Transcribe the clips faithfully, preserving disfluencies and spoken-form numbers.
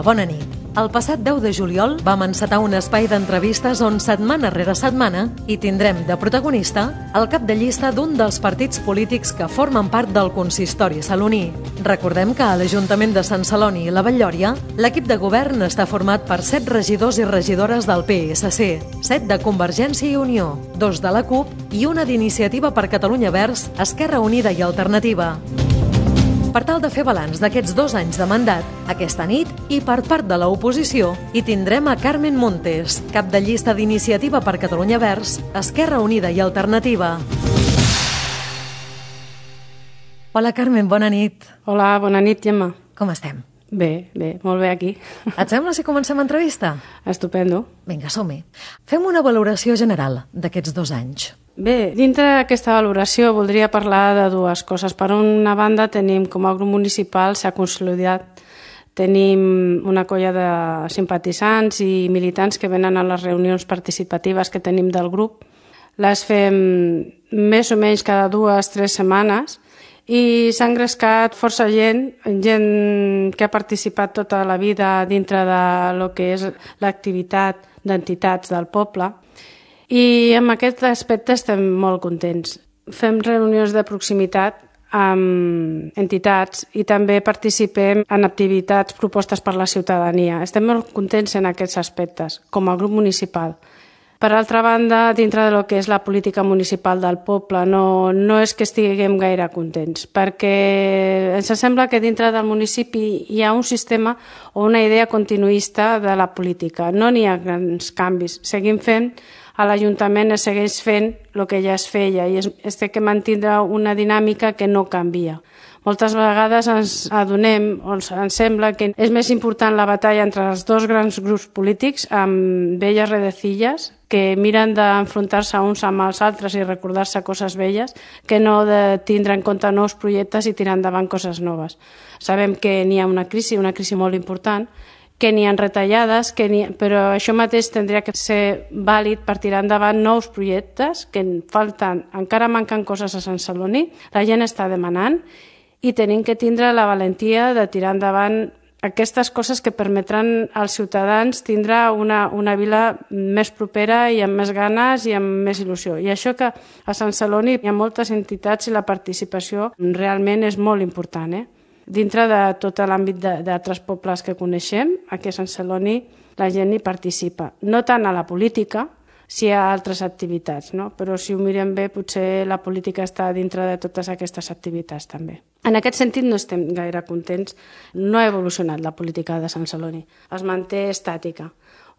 bona nit. El passat deu de juliol vam encetar un espai d'entrevistes on setmana rere setmana hi tindrem de protagonista el cap de llista d'un dels partits polítics que formen part del consistori saloní. Recordem que a l'Ajuntament de Sant Celoni i la Vall-lloria l'equip de govern està format per set regidors i regidores del P S C, set de Convergència i Unió, dos de la CUP i una d'Iniciativa per Catalunya Verds, Esquerra Unida i Alternativa. Per tal de fer balanç d'aquests dos anys de mandat, aquesta nit, i per part de l'oposició, hi tindrem a Carmen Montes, cap de llista d'Iniciativa per Catalunya Verds, Esquerra Unida i Alternativa. Hola, Carmen, bona nit. Hola, bona nit, Gemma. Com estem? Bé, bé, molt bé aquí. Et sembla si comencem l'entrevista? Estupendo. Vinga, som-hi. Fem una valoració general d'aquests dos anys. Bé, dintre d'aquesta valoració voldria parlar de dues coses. Per una banda, tenim com a grup municipal s'ha consolidat, tenim una colla de simpatitzants i militants que venen a les reunions participatives que tenim del grup. Les fem més o menys cada dues o tres setmanes i s'ha engrescat força gent, gent que ha participat tota la vida dintre de lo que és l'activitat d'entitats del poble. I en aquest aspecte estem molt contents. Fem reunions de proximitat amb entitats i també participem en activitats propostes per la ciutadania. Estem molt contents en aquests aspectes, com a grup municipal. Per altra banda, dintre de lo que és la política municipal del poble, no, no és que estiguem gaire contents, perquè ens sembla que dintre del municipi hi ha un sistema o una idea continuista de la política. No n'hi ha grans canvis. Seguim fent, a l'Ajuntament es segueix fent el que ja es feia i es, es té que mantenir una dinàmica que no canvia. Moltes vegades ens adonem, o ens sembla que és més important la batalla entre els dos grans grups polítics amb velles redecilles que miren d'enfrontar-se uns amb els altres i recordar-se coses velles que no de tindre en compte nous projectes i tirar endavant coses noves. Sabem que n'hi ha una crisi, una crisi molt important, que n'hi ha retallades, que ha, però això mateix tindria que ser vàlid per tirar endavant nous projectes que falten, encara manquen coses a Sant Celoni, la gent està demanant i tenim que tindre la valentia de tirar endavant aquestes coses que permetran als ciutadans tindre una, una vila més propera i amb més ganes i amb més il·lusió. I això que a Sant Celoni hi ha moltes entitats i la participació realment és molt important, eh? Dintre de tot l'àmbit d'altres pobles que coneixem, aquí a Sant Celoni la gent hi participa. No tant a la política, si hi ha altres activitats, no? Però si ho mirem bé, potser la política està dintre de totes aquestes activitats també. En aquest sentit no estem gaire contents. No ha evolucionat la política de Sant Celoni. Es manté estàtica.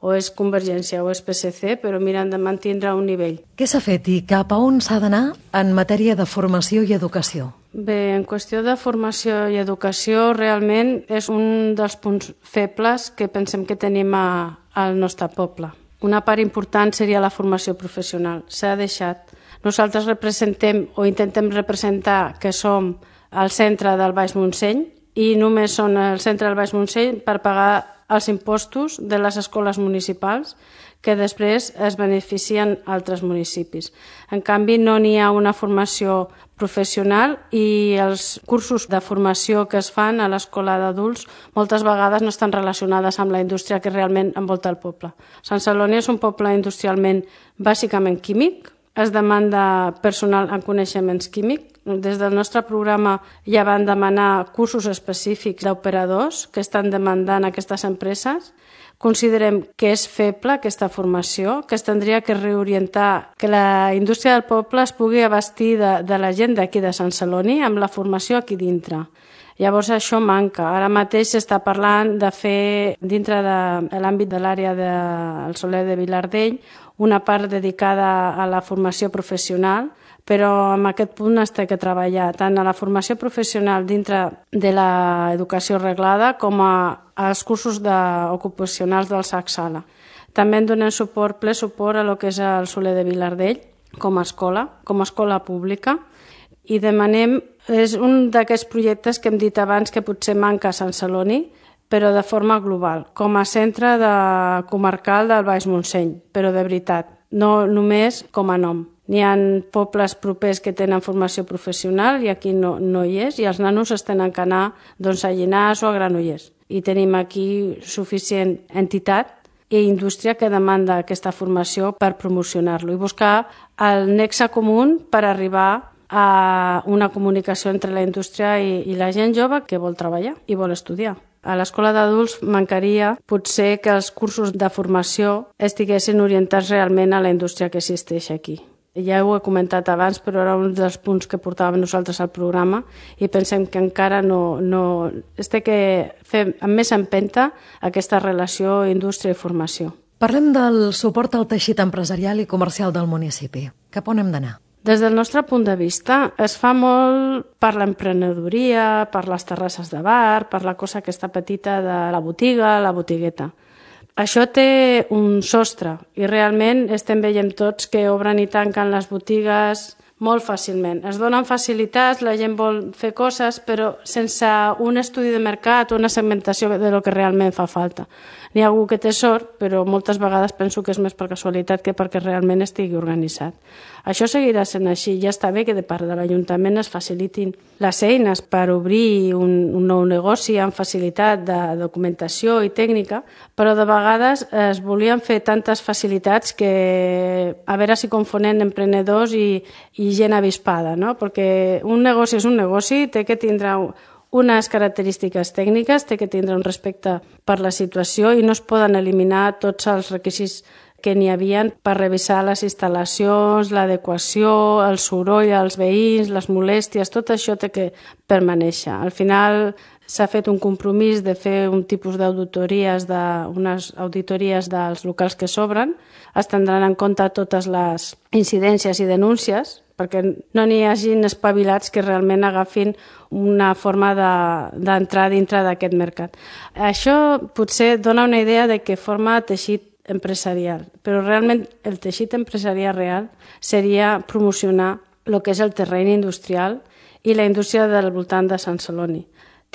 O és Convergència o és P S C, però miren de mantenir un nivell. Què s'ha fet i cap a on s'ha d'anar en matèria de formació i educació? Bé, en qüestió de formació i educació, realment és un dels punts febles que pensem que tenim a, al nostre poble. Una part important seria la formació professional. S'ha deixat. Nosaltres representem o intentem representar que som al centre del Baix Montseny i només són el centre del Baix Montseny per pagar els impostos de les escoles municipals que després es beneficien altres municipis. En canvi, no n'hi ha una formació professional i els cursos de formació que es fan a l'escola d'adults moltes vegades no estan relacionades amb la indústria que realment envolta el poble. Sant Celoni és un poble industrialment bàsicament químic, es demanda personal en coneixements químics. Des del nostre programa ja van demanar cursos específics d'operadors que estan demandant aquestes empreses. Considerem que és feble aquesta formació, que es tindria que reorientar, que la indústria del poble es pugui abastir de, de la gent d'aquí de Sant Celoni amb la formació aquí dintre. Llavors això manca. Ara mateix s'està parlant de fer dintre de l'àmbit de l'àrea del Soler de Vilardell una part dedicada a la formació professional, però en aquest punt es té que treballar tant a la formació professional dintre de l'educació reglada com als cursos ocupacionals del SAC-Sala. També en donem suport, ple suport a lo que és el Soler de Vilardell com a escola, com a escola pública, i demanem, és un d'aquests projectes que hem dit abans que potser manca a Sant Celoni, però de forma global, com a centre de comarcal del Baix Montseny, però de veritat, no només com a nom. N'hi ha pobles propers que tenen formació professional i aquí no, no hi és, i els nanos es tenen que anar doncs, a Llinars o a Granollers. i tenim aquí suficient entitat i indústria que demanda aquesta formació per promocionar-lo i buscar el nexe comú per arribar a una comunicació entre la indústria i, i la gent jove que vol treballar i vol estudiar. A l'escola d'adults mancaria potser que els cursos de formació estiguessin orientats realment a la indústria que existeix aquí. Ja ho he comentat abans, però era un dels punts que portàvem nosaltres al programa i pensem que encara no... no es té que fer amb més empenta aquesta relació indústria i formació. Parlem del suport al teixit empresarial i comercial del municipi. Cap on hem d'anar? Des del nostre punt de vista, es fa molt per l'emprenedoria, per les terrasses de bar, per la cosa aquesta petita de la botiga, la botigueta. Això té un sostre i realment estem veient tots que obren i tanquen les botigues molt fàcilment. Es donen facilitats, la gent vol fer coses, però sense un estudi de mercat o una segmentació de lo que realment fa falta. N'hi ha algú que té sort, però moltes vegades penso que és més per casualitat que perquè realment estigui organitzat. Això seguirà sent així. Ja està bé que de part de l'Ajuntament es facilitin les eines per obrir un, un nou negoci amb facilitat de documentació i tècnica, però de vegades es volien fer tantes facilitats que a veure si confonen emprenedors i, i gent avispada, no? Perquè un negoci és un negoci, té que tindre unes característiques tècniques, té que tindre un respecte per la situació i no es poden eliminar tots els requisits que n'hi havia per revisar les instal·lacions, l'adequació, el soroll als veïns, les molèsties, tot això té que permanèixer. Al final s'ha fet un compromís de fer un tipus d'auditories, de, unes auditories dels locals que s'obren, es tindran en compte totes les incidències i denúncies, perquè no n'hi hagin espavilats que realment agafin una forma d'entrar de, dintre d'aquest mercat. Això potser dona una idea de què forma teixit empresarial, però realment el teixit empresarial real seria promocionar el que és el terreny industrial i la indústria del voltant de Sant Celoni.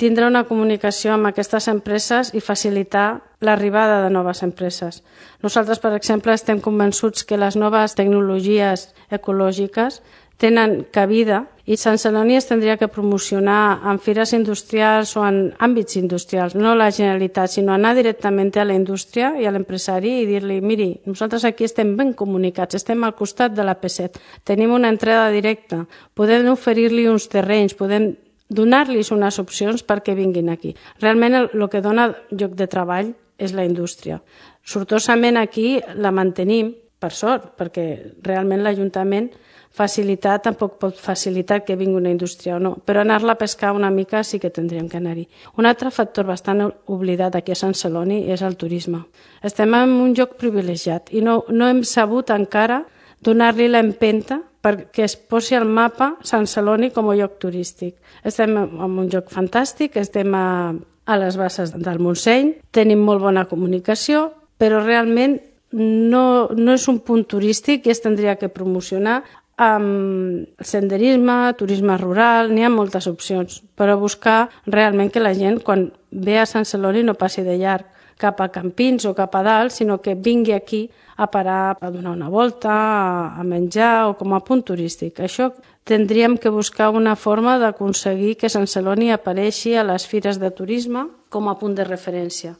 Tindre una comunicació amb aquestes empreses i facilitar l'arribada de noves empreses. Nosaltres, per exemple, estem convençuts que les noves tecnologies ecològiques tenen cabida i Sant Celoni es tindria que promocionar en fires industrials o en àmbits industrials, no la Generalitat, sinó anar directament a la indústria i a l'empresari i dir-li, miri, nosaltres aquí estem ben comunicats, estem al costat de la P set, tenim una entrada directa, podem oferir-li uns terrenys, podem donar-los unes opcions perquè vinguin aquí. Realment el, el que dona lloc de treball és la indústria. Sortosament aquí la mantenim, per sort, perquè realment l'Ajuntament facilitar tampoc pot facilitar que vingui una indústria o no, però anar-la a pescar una mica sí que tindríem que anar-hi. Un altre factor bastant oblidat aquí a Sant Celoni és el turisme. Estem en un lloc privilegiat i no, no hem sabut encara donar-li l'empenta perquè es posi al mapa Sant Celoni com a lloc turístic. Estem en un lloc fantàstic, estem a, a les basses del Montseny, tenim molt bona comunicació, però realment no, no és un punt turístic i es tindria que promocionar amb senderisme, turisme rural, n'hi ha moltes opcions, però buscar realment que la gent quan ve a Sant Celoni no passi de llarg cap a Campins o cap a dalt, sinó que vingui aquí a parar, a donar una volta, a menjar o com a punt turístic. Això tindríem que buscar una forma d'aconseguir que Sant Celoni apareixi a les fires de turisme com a punt de referència.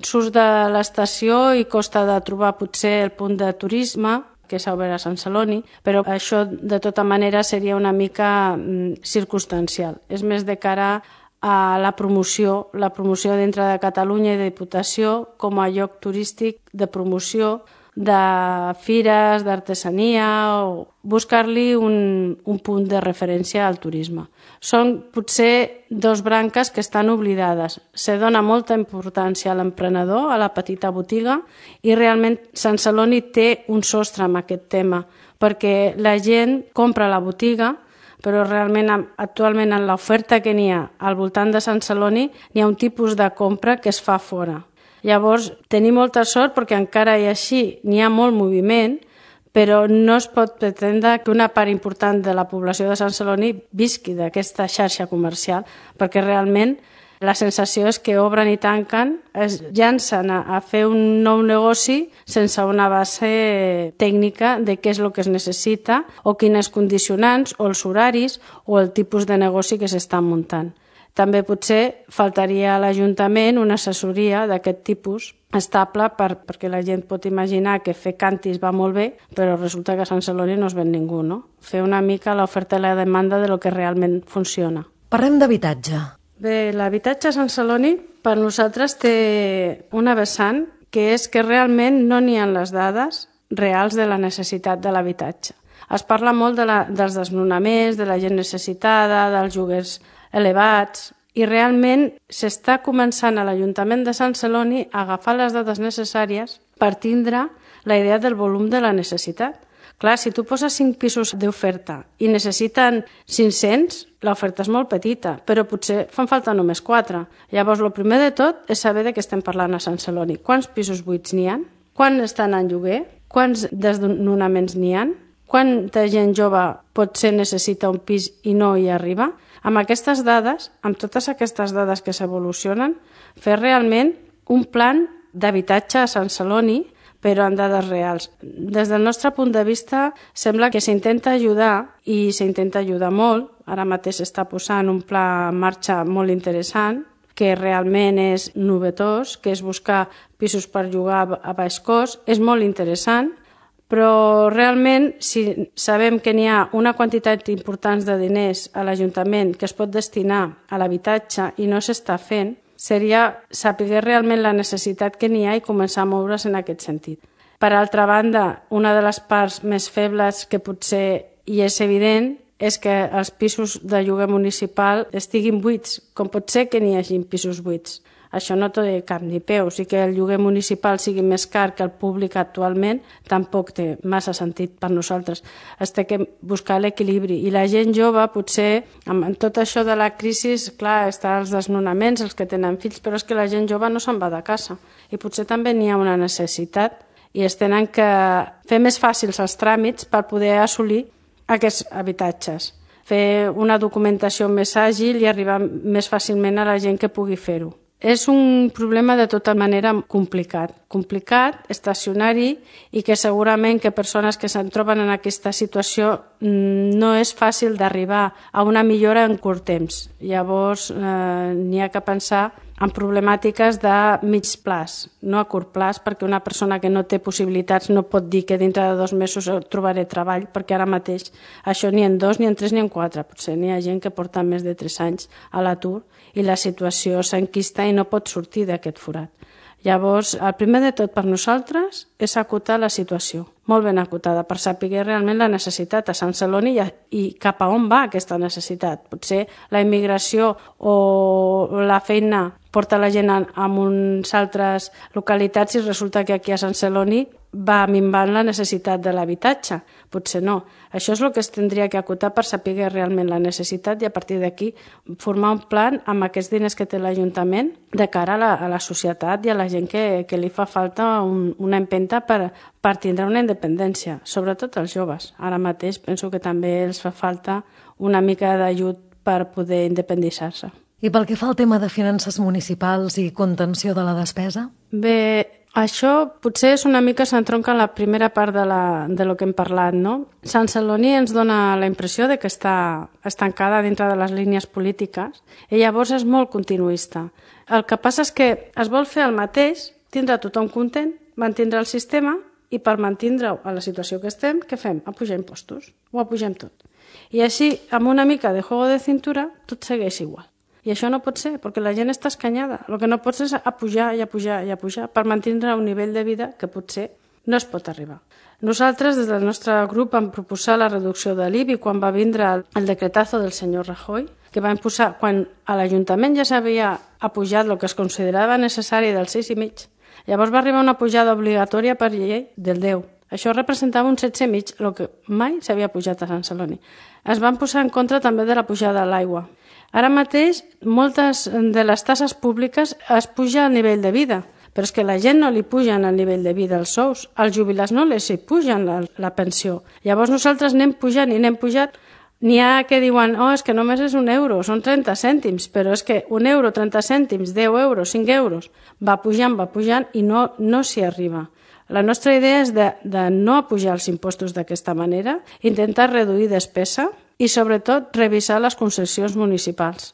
Surts de l'estació i costa de trobar potser el punt de turisme que s'ha obert a Sant Celoni, però això de tota manera seria una mica mm, circumstancial. És més de cara a la promoció, la promoció dintre de Catalunya i de Diputació com a lloc turístic de promoció de fires, d'artesania o buscar-li un, un punt de referència al turisme. Són potser dos branques que estan oblidades. Se dona molta importància a l'emprenedor, a la petita botiga, i realment Sant Celoni té un sostre amb aquest tema, perquè la gent compra a la botiga, però realment actualment en l'oferta que n'hi ha al voltant de Sant Celoni n'hi ha un tipus de compra que es fa fora. Llavors, tenim molta sort perquè encara i així n'hi ha molt moviment, però no es pot pretendre que una part important de la població de Sant Celoni visqui d'aquesta xarxa comercial, perquè realment la sensació és que obren i tanquen, es llancen a, a fer un nou negoci sense una base tècnica de què és el que es necessita o quines condicionants o els horaris o el tipus de negoci que s'estan muntant. També potser faltaria a l'Ajuntament una assessoria d'aquest tipus estable per, perquè la gent pot imaginar que fer cantis va molt bé, però resulta que a Sant Celoni no es ven ningú, no? Fer una mica l'oferta i la demanda de lo que realment funciona. Parlem d'habitatge. Bé, l'habitatge a Sant Celoni per nosaltres té una vessant que és que realment no n'hi ha les dades reals de la necessitat de l'habitatge. Es parla molt de la, dels desnonaments, de la gent necessitada, dels lloguers elevats, i realment s'està començant a l'Ajuntament de Sant Celoni a agafar les dades necessàries per tindre la idea del volum de la necessitat. Clar, si tu poses cinc pisos d'oferta i necessiten cinc-cents, l'oferta és molt petita, però potser fan falta només quatre. Llavors, el primer de tot és saber de què estem parlant a Sant Celoni. Quants pisos buits n'hi ha? Quan estan en lloguer? Quants desnonaments n'hi ha? Quanta gent jove potser necessita un pis i no hi arriba? Amb aquestes dades, amb totes aquestes dades que s'evolucionen, fer realment un plan d'habitatge a Sant Celoni, però amb dades reals. Des del nostre punt de vista, sembla que s'intenta ajudar, i s'intenta ajudar molt. Ara mateix s'està posant un pla en marxa molt interessant, que realment és novetós, que és buscar pisos per llogar a baix cost. És molt interessant, però realment, si sabem que n'hi ha una quantitat important de diners a l'Ajuntament que es pot destinar a l'habitatge i no s'està fent, seria saber realment la necessitat que n'hi ha i començar a moure's en aquest sentit. Per altra banda, una de les parts més febles que potser hi és evident és que els pisos de lloguer municipal estiguin buits, com pot ser que n'hi hagi pisos buits. Això no té cap ni peus, i que el lloguer municipal sigui més car que el públic actualment tampoc té massa sentit per nosaltres. Es té que buscar l'equilibri, i la gent jove potser, amb tot això de la crisi, clar, està els desnonaments, els que tenen fills, però és que la gent jove no se'n va de casa, i potser també n'hi ha una necessitat, i es tenen que fer més fàcils els tràmits per poder assolir aquests habitatges, fer una documentació més àgil i arribar més fàcilment a la gent que pugui fer-ho. És un problema de tota manera complicat, complicat, estacionari, i que segurament que persones que se'n troben en aquesta situació no és fàcil d'arribar a una millora en curt temps. Llavors eh, n'hi ha que pensar en problemàtiques de mig plaç, no a curt plaç, perquè una persona que no té possibilitats no pot dir que dintre de dos mesos trobaré treball, perquè ara mateix això ni en dos, ni en tres, ni en quatre. Potser n'hi ha gent que porta més de tres anys a l'atur i la situació s'enquista i no pot sortir d'aquest forat. Llavors, el primer de tot per nosaltres és acotar la situació, molt ben acotada, per saber realment la necessitat a Sant Celoni i, i cap a on va aquesta necessitat. Potser la immigració o la feina porta la gent a unes altres localitats i resulta que aquí a Sant Celoni va minvant la necessitat de l'habitatge. Potser no. Això és el que es tindria que acotar per saber realment la necessitat i a partir d'aquí formar un plan amb aquests diners que té l'Ajuntament de cara a la, a la societat i a la gent que, que li fa falta un, una empenta per, per tindre una independència, sobretot els joves. Ara mateix penso que també els fa falta una mica d'ajut per poder independitzar-se. I pel que fa al tema de finances municipals i contenció de la despesa? Bé, això potser és una mica s'entronca en la primera part de, la, de lo que hem parlat, no? Sant Celoni ens dona la impressió de que està estancada dintre de les línies polítiques i llavors és molt continuista. El que passa és que es vol fer el mateix, tindre tothom content, mantindre el sistema, i per mantindre-ho a la situació que estem, què fem? Apujar impostos, ho apugem tot. I així, amb una mica de juego de cintura, tot segueix igual. I això no pot ser, perquè la gent està escanyada. El que no pot ser és apujar i apujar i apujar per mantenir un nivell de vida que potser no es pot arribar. Nosaltres, des del nostre grup, vam proposar la reducció de l'I B I quan va vindre el decretazo del senyor Rajoy, que va imposar, quan a l'Ajuntament ja s'havia apujat el que es considerava necessari del sis i mig. Llavors va arribar una pujada obligatòria per llei del deu. Això representava un setze i mig, el que mai s'havia pujat a Sant Celoni. Es van posar en contra també de la pujada de l'aigua. Ara mateix, moltes de les tasses públiques es puja al nivell de vida, però és que la gent no li pugen al nivell de vida els sous, als jubilats no els hi pugen la, la pensió. Llavors nosaltres anem pujant i anem pujant. N'hi ha que diuen, oh, és que només és un euro, són trenta cèntims, però és que un euro, trenta cèntims, deu euros, cinc euros, va pujant, va pujant i no, no s'hi arriba. La nostra idea és de, de no apujar els impostos d'aquesta manera, intentar reduir despesa i, sobretot, revisar les concessions municipals.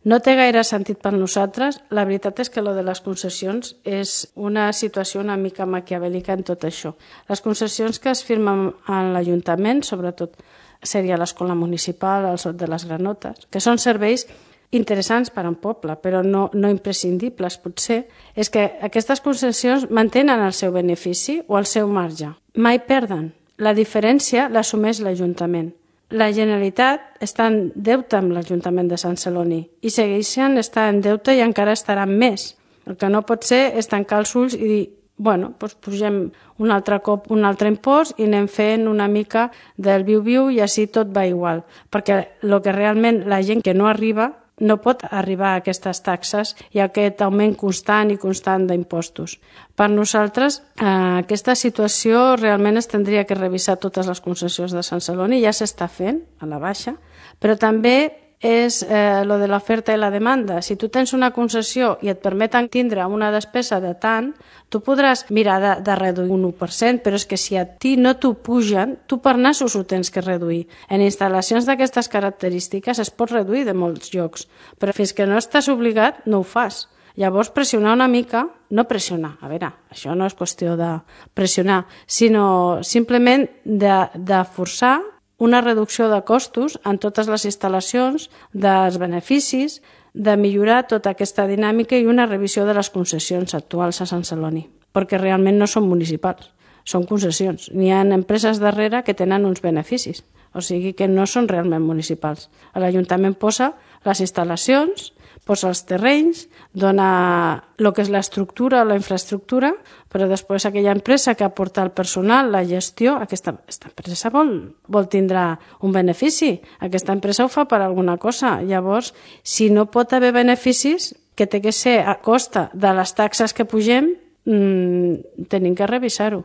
No té gaire sentit per nosaltres. La veritat és que lo de les concessions és una situació una mica maquiavèlica en tot això. Les concessions que es firmen a l'Ajuntament, sobretot seria l'escola municipal, el Sot de les Granotes, que són serveis interessants per a un poble, però no, no imprescindibles potser, és que aquestes concessions mantenen el seu benefici o el seu marge. Mai perden. La diferència l'assumeix l'Ajuntament. La Generalitat està en deute amb l'Ajuntament de Sant Celoni i segueixen estar en deute i encara estaran més. El que no pot ser és tancar els ulls i dir bueno, doncs pugem un altre cop un altre impost i anem fent una mica del viu-viu i així tot va igual. Perquè el que realment la gent que no arriba no pot arribar a aquestes taxes i a aquest augment constant i constant d'impostos. Per nosaltres, eh, aquesta situació realment es tindria que revisar totes les concessions de Sant Celoni, ja s'està fent a la baixa, però també és eh, lo de l'oferta i la demanda. Si tu tens una concessió i et permeten tindre una despesa de tant, tu podràs mirar de, de reduir un u per cent, però és que si a ti no t'ho pugen, tu per nassos ho tens que reduir. En instal·lacions d'aquestes característiques es pot reduir de molts llocs, però fins que no estàs obligat no ho fas. Llavors pressionar una mica, no pressionar, a veure, això no és qüestió de pressionar, sinó simplement de, de forçar una reducció de costos en totes les instal·lacions, dels beneficis, de millorar tota aquesta dinàmica i una revisió de les concessions actuals a Sant Celoni, perquè realment no són municipals, són concessions. N'hi ha empreses darrere que tenen uns beneficis, o sigui que no són realment municipals. L'Ajuntament posa les instal·lacions, posa els terrenys, dona el que és l'estructura o la infraestructura, però després aquella empresa que aporta el personal, la gestió, aquesta, aquesta empresa vol, vol tindre un benefici. Aquesta empresa ho fa per alguna cosa. Llavors, si no pot haver beneficis, que té que ser a costa de les taxes que pugem, mmm, tenim que revisar-ho.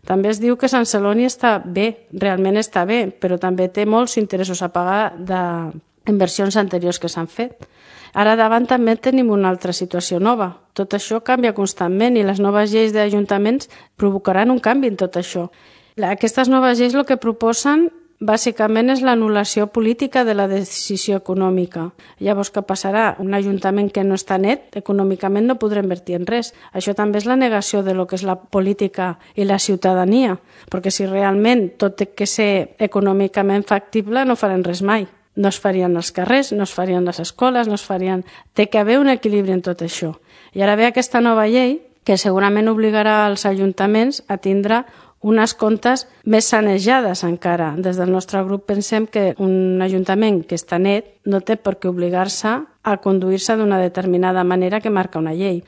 També es diu que Sant Celoni està bé, realment està bé, però també té molts interessos a pagar d'inversions anteriors que s'han fet. Ara davant també tenim una altra situació nova. Tot això canvia constantment i les noves lleis d'ajuntaments provocaran un canvi en tot això. Aquestes noves lleis el que proposen bàsicament és l'anul·lació política de la decisió econòmica. Llavors, què passarà? Un ajuntament que no està net, econòmicament no podrà invertir en res. Això també és la negació de lo que és la política i la ciutadania, perquè si realment tot té que ser econòmicament factible no farem res mai. No es farien els carrers, no es farien les escoles, no es farien... Té que haver un equilibri en tot això. I ara ve aquesta nova llei que segurament obligarà els ajuntaments a tindre unes comptes més sanejades encara. Des del nostre grup pensem que un ajuntament que està net no té per què obligar-se a conduir-se d'una determinada manera que marca una llei.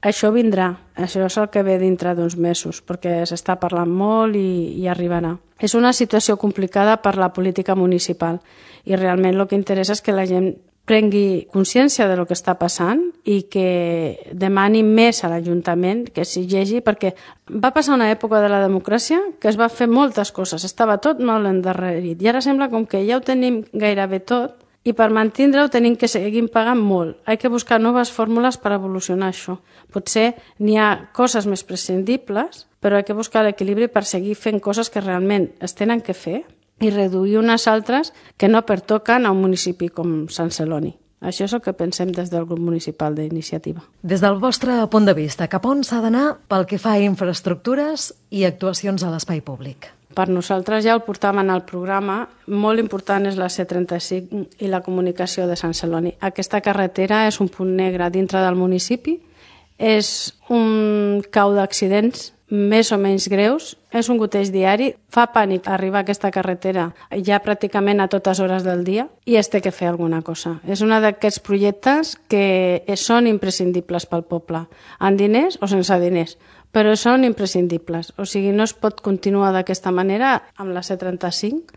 Això vindrà, això és el que ve dintre d'uns mesos, perquè s'està parlant molt i, i arribarà. És una situació complicada per la política municipal i realment el que interessa és que la gent prengui consciència de lo que està passant i que demani més a l'Ajuntament, que s'exigeixi, perquè va passar una època de la democràcia que es va fer moltes coses, estava tot molt endarrerit i ara sembla com que ja ho tenim gairebé tot i per mantindre-ho tenim que seguir pagant molt. Hay que buscar noves fórmules per evolucionar això. Potser n'hi ha coses més prescindibles, però hay que buscar l'equilibri per seguir fent coses que realment es tenen que fer i reduir unes altres que no pertoquen a un municipi com Sant Celoni. Això és el que pensem des del grup municipal d'Iniciativa. Des del vostre punt de vista, cap on s'ha d'anar pel que fa a infraestructures i actuacions a l'espai públic? Per nosaltres ja el portàvem en el programa, molt important és la C trenta-cinc i la comunicació de Sant Celoni. Aquesta carretera és un punt negre dintre del municipi, és un cau d'accidents més o menys greus, és un goteig diari, fa pànic arribar a aquesta carretera ja pràcticament a totes hores del dia i es té que fer alguna cosa. És un d'aquests projectes que són imprescindibles pel poble, amb diners o sense diners, però són imprescindibles. O sigui, no es pot continuar d'aquesta manera amb la C trenta-cinc.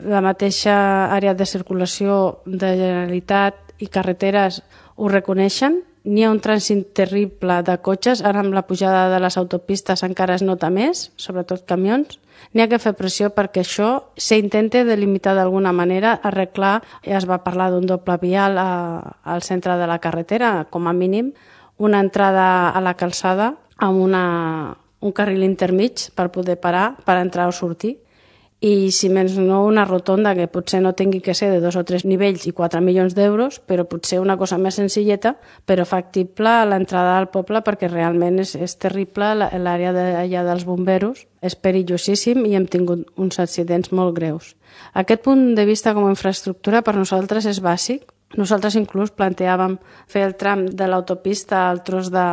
La mateixa àrea de circulació de Generalitat i carreteres ho reconeixen. N'hi ha un trànsit terrible de cotxes, ara amb la pujada de les autopistes encara es nota més, sobretot camions. N'hi ha que fer pressió perquè això s'intenta delimitar d'alguna manera, arreglar, ja es va parlar d'un doble vial a, al centre de la carretera, com a mínim, una entrada a la calçada amb una, un carril intermig per poder parar, per entrar o sortir, i si menys no una rotonda que potser no tingui que ser de dos o tres nivells i quatre milions d'euros, però potser una cosa més senzilleta, però factible a l'entrada al poble, perquè realment és, és terrible l'àrea d'allà dels bomberos, és perillosíssim i hem tingut uns accidents molt greus. Aquest punt de vista com a infraestructura per nosaltres és bàsic. Nosaltres inclús planteàvem fer el tram de l'autopista al tros de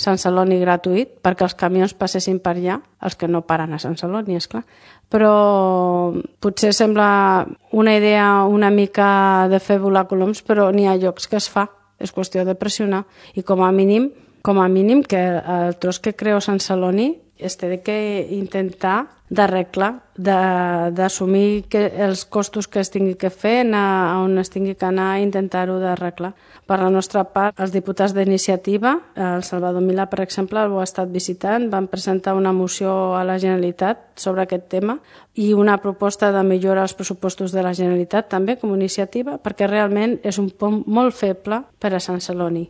Sant Celoni gratuït perquè els camions passessin per allà, els que no paren a Sant Celoni, esclar. Però potser sembla una idea una mica de fer volar coloms, però n'hi ha llocs que es fa, és qüestió de pressionar. I com a mínim, com a mínim que el tros que creu Sant Celoni es té que intentar d'arreglar, d'assumir els costos que es tingui que fer, anar on es tingui que anar i intentar-ho d'arreglar. Per la nostra part, els diputats d'iniciativa, el Salvador Milà, per exemple, ho ha estat visitant, van presentar una moció a la Generalitat sobre aquest tema i una proposta de millora als pressupostos de la Generalitat també com a iniciativa, perquè realment és un pont molt feble per a Sant Celoni.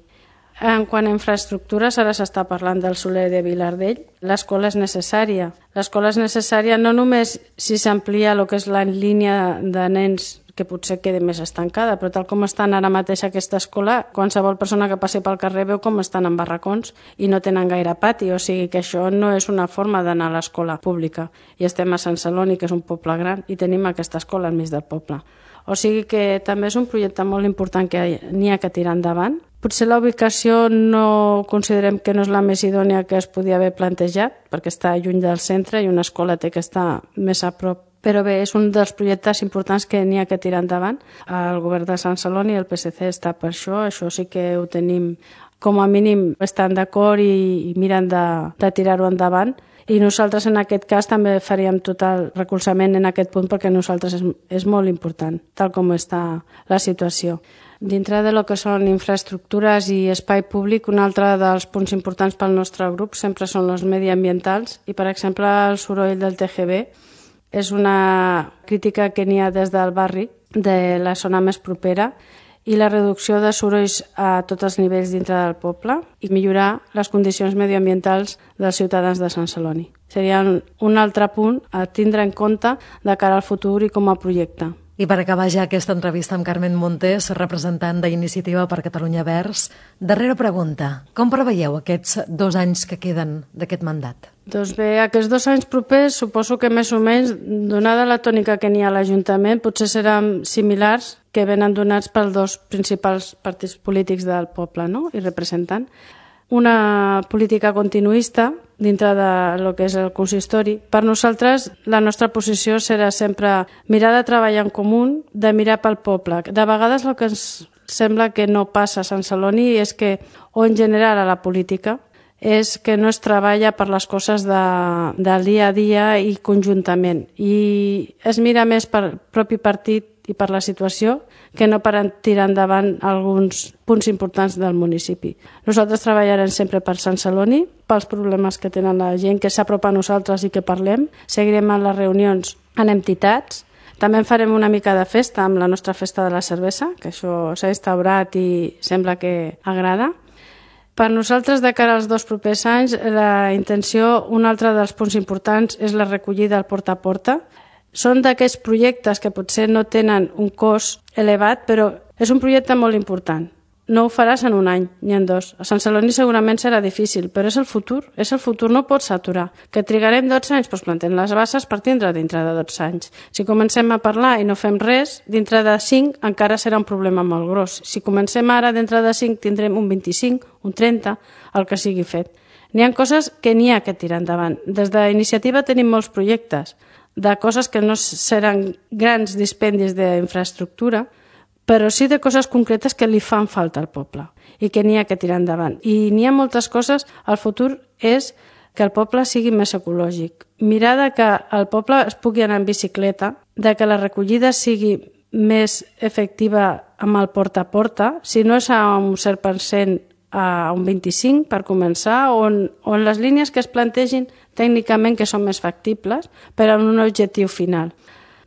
En quant a infraestructures, ara s'està parlant del Soler de Vilardell. L'escola és necessària. L'escola és necessària no només si s'amplia el que és la línia de nens que potser quedi més estancada, però tal com estan ara mateix aquesta escola, qualsevol persona que passi pel carrer veu com estan en barracons i no tenen gaire pati, o sigui que això no és una forma d'anar a l'escola pública. I estem a Sant Celoni, que és un poble gran, i tenim aquesta escola enmig del poble. O sigui que també és un projecte molt important que n'hi ha que tirar endavant. Potser la ubicació no considerem que no és la més idònia que es podia haver plantejat, perquè està lluny del centre i una escola té que estar més a prop. Però bé, és un dels projectes importants que n'hi ha que tirar endavant. El govern de Sant Celoni i el P S C està per això, això sí que ho tenim com a mínim, estan d'acord i, i miren de, de tirar-ho endavant. I nosaltres en aquest cas també faríem tot el recolzament en aquest punt perquè nosaltres és, és molt important, tal com està la situació. Dintre de lo que són infraestructures i espai públic, un altre dels punts importants pel nostre grup sempre són els mediambientals i, per exemple, el soroll del T G V és una crítica que n'hi ha des del barri, de la zona més propera, i la reducció de sorolls a tots els nivells dintre del poble i millorar les condicions mediambientals dels ciutadans de Sant Celoni. Seria un altre punt a tindre en compte de cara al futur i com a projecte. I per acabar ja aquesta entrevista amb Carmen Montes, representant d'Iniciativa per Catalunya Verds, darrera pregunta. Com preveieu aquests dos anys que queden d'aquest mandat? Doncs bé, aquests dos anys propers suposo que més o menys, donada la tònica que n'hi ha a l'Ajuntament, potser seran similars que venen donats pels dos principals partits polítics del poble, no? I representant. Una política continuista dintre de lo que és el consistori. Per nosaltres, la nostra posició serà sempre mirar de treballar en comú, de mirar pel poble. De vegades el que ens sembla que no passa a Sant Celoni és que, o en general a la política, és que no es treballa per les coses de, del dia a dia i conjuntament. I es mira més per propi partit i per la situació que no per tirar endavant alguns punts importants del municipi. Nosaltres treballarem sempre per Sant Celoni, pels problemes que tenen la gent, que s'apropa a nosaltres i que parlem. Seguirem en les reunions en entitats. També farem una mica de festa amb la nostra festa de la cervesa, que això s'ha instaurat i sembla que agrada. Per nosaltres, de cara als dos propers anys, la intenció, un altre dels punts importants, és la recollida al porta a porta. Són d'aquests projectes que potser no tenen un cost elevat, però és un projecte molt important. No ho faràs en un any ni en dos. A Sant Celoni segurament serà difícil, però és el futur. És el futur, no pots aturar. Que trigarem dotze anys, doncs plantem les bases per tindre dintre de dotze anys. Si comencem a parlar i no fem res, dintre de cinc encara serà un problema molt gros. Si comencem ara, dintre de cinc tindrem un vint-i-cinc, un trenta, el que sigui fet. N'hi ha coses que n'hi ha que tirar endavant. Des d'Iniciativa tenim molts projectes de coses que no seran grans dispendis d'infraestructura, però sí de coses concretes que li fan falta al poble i que n'hi ha que tirar endavant. I n'hi ha moltes coses. El futur és que el poble sigui més ecològic. Mirar de que el poble es pugui anar en bicicleta, de que la recollida sigui més efectiva amb el porta a porta, si no és a un cent per cent, a un vint-i-cinc per començar, on, on les línies que es plantegin tècnicament que són més factibles per a un objectiu final.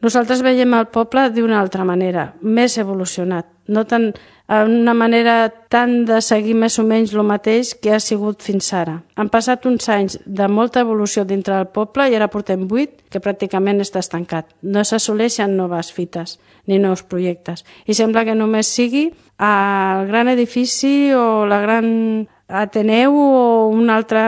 Nosaltres veiem el poble d'una altra manera, més evolucionat. no tan, una manera tan de seguir més o menys el mateix que ha sigut fins ara. Han passat uns anys de molta evolució dintre del poble i ara portem vuit que pràcticament està estancat. No s'assoleixen noves fites ni nous projectes. I sembla que només sigui el gran edifici o la gran Ateneu o un altre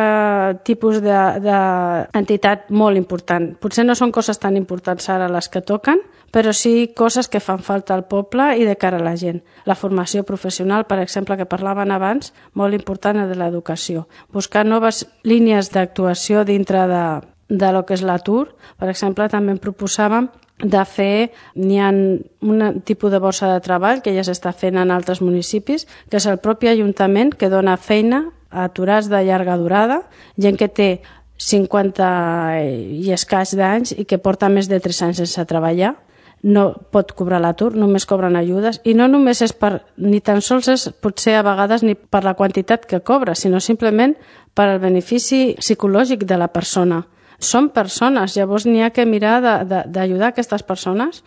tipus d'entitat molt important. Potser no són coses tan importants ara les que toquen, però sí coses que fan falta al poble i de cara a la gent. La formació professional, per exemple, que parlaven abans, molt important de l'educació. Buscar noves línies d'actuació dintre de, de lo que és l'atur. Per exemple, també en proposàvem de fer, n'hi ha un tipus de borsa de treball que ja s'està fent en altres municipis, que és el propi Ajuntament que dona feina a aturats de llarga durada, gent que té cinquanta i escaig d'anys i que porta més de tres anys sense treballar, no pot cobrar l'atur, només cobren ajudes, i no només és per, ni tan sols és potser a vegades ni per la quantitat que cobra, sinó simplement per al benefici psicològic de la persona. Són persones, llavors n'hi ha que mirar d'ajudar aquestes persones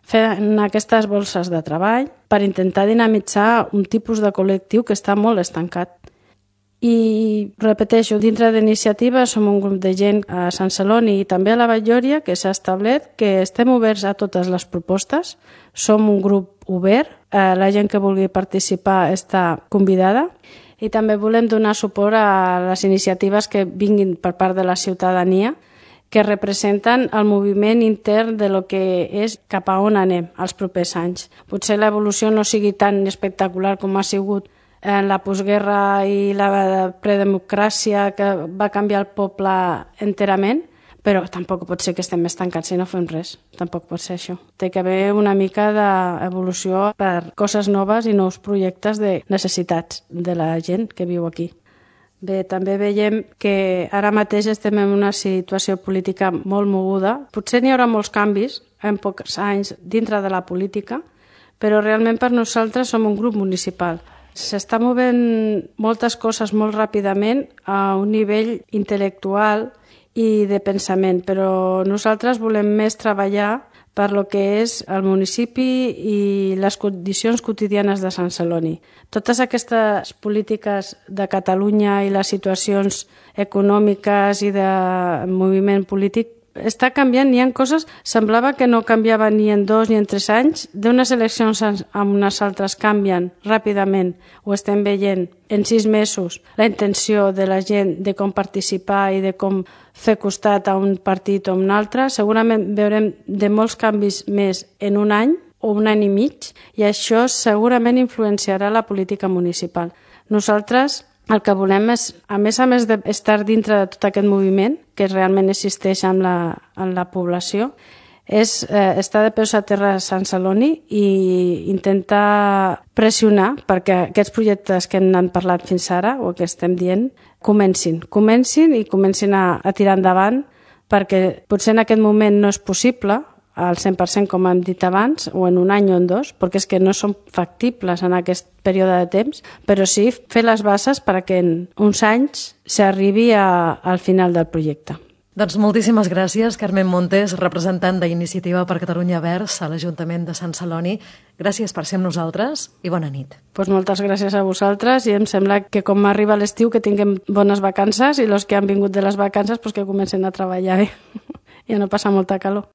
fent aquestes bolses de treball per intentar dinamitzar un tipus de col·lectiu que està molt estancat. I repeteixo, dintre d'iniciativa som un grup de gent a Sant Celoni i també a la Vall-lloria que s'ha establert que estem oberts a totes les propostes, som un grup obert, la gent que vulgui participar està convidada. I també volem donar suport a les iniciatives que vinguin per part de la ciutadania que representen el moviment intern de lo que és cap a on anem els propers anys. Potser l'evolució no sigui tan espectacular com ha sigut en la postguerra i la predemocràcia que va canviar el poble enterament, però tampoc pot ser que estem estancats si no fem res. Tampoc pot ser això. Té que haver una mica d'evolució per coses noves i nous projectes de necessitats de la gent que viu aquí. Bé, també veiem que ara mateix estem en una situació política molt moguda. Potser n'hi haurà molts canvis en pocs anys dintre de la política, però realment per nosaltres som un grup municipal. S'està movent moltes coses molt ràpidament a un nivell intel·lectual i de pensament, però nosaltres volem més treballar per lo que és el municipi i les condicions quotidianes de Sant Celoni. Totes aquestes polítiques de Catalunya i les situacions econòmiques i de moviment polític està canviant, hi ha coses, semblava que no canviava ni en dos ni en tres anys, d'unes eleccions a unes altres canvien ràpidament, ho estem veient en sis mesos, la intenció de la gent de com participar i de com fer costat a un partit o a un altre, segurament veurem de molts canvis més en un any o un any i mig, i això segurament influenciarà la política municipal. Nosaltres el que volem és, a més a més d'estar dintre de tot aquest moviment, que realment existeix en la, en la població, és eh, estar de peus a terra a Sant Celoni i intentar pressionar perquè aquests projectes que hem parlat fins ara, o que estem dient, comencin. Comencin i comencin a, a tirar endavant, perquè potser en aquest moment no és possible, al cent per cent com hem dit abans, o en un any o en dos, perquè és que no són factibles en aquest període de temps, però sí fer les bases perquè en uns anys s'arribi a, al final del projecte. Doncs moltíssimes gràcies, Carmen Montes, representant d'Iniciativa per Catalunya Verds a l'Ajuntament de Sant Celoni. Gràcies per ser amb nosaltres i bona nit. Pues moltes gràcies a vosaltres i em sembla que com arriba l'estiu que tinguem bones vacances i els que han vingut de les vacances pues que comencen a treballar bé i a no passar molta calor.